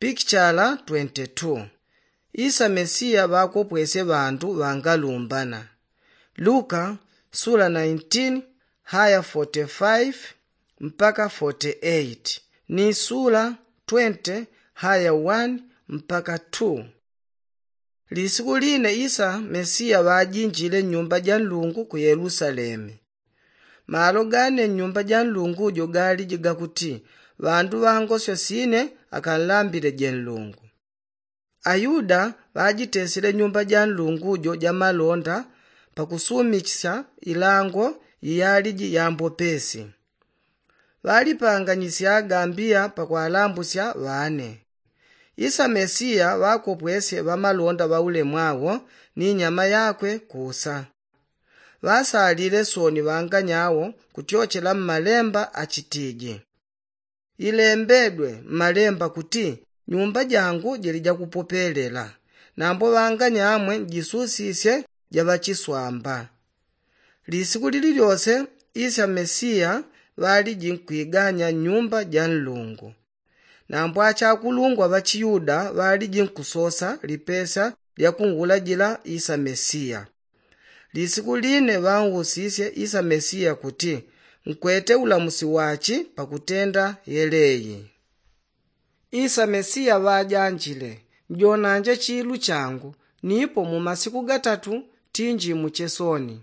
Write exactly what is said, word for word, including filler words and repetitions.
Pikichala twenty-two. Isa mesiya ŵakopwesye ŵandu ŵangalumbana. Luka sula nineteen haya forty-five mpaka forty-eight, ni sula twenty haya one mpaka two. Lisiku line isa mesiya ŵajinjile nnyumba ja nlungu ku yelusalemi. Malo gane nnyumba ja nlungu jo galiji gakuti ŵandu ŵa ngosyo sine akanlambileje nlungu. Ayuda ŵajitesile nyumba ja nlungu jo ja malonda pakusumichisya ilango iyaliji yambopesi. Ŵalipanganyisyaga mbiya pakwalambusya ŵane. Isa mesiya ŵakopwesye ŵamalonda ŵa ulemu awo ni nyama yakwe kuusa. Ŵasalile sooni ŵanganyawo kutyochela mmalemba achitiji, ilembedwe mmalemba kuti, nyumba jangu jili jakupopelela. Nambo ŵanganyamwe njisusisye jaŵa chiswamba. Lisiku lililyose isya mesiya ŵaliji nkwiganya nnyumba ja nlungu. Nambo achakulungwa ŵa chiyuda ŵaliji nkusosa lipesya lya kungulajila isa mesiya. Lisiku line ŵausisye isa mesiya kuti, nkwete ulamusi wachi pakutenda yeleyi? Isa mesiya ŵajanjile, njonanje chilu changu, nipo mumasiku gatatu tinjimuche sooni.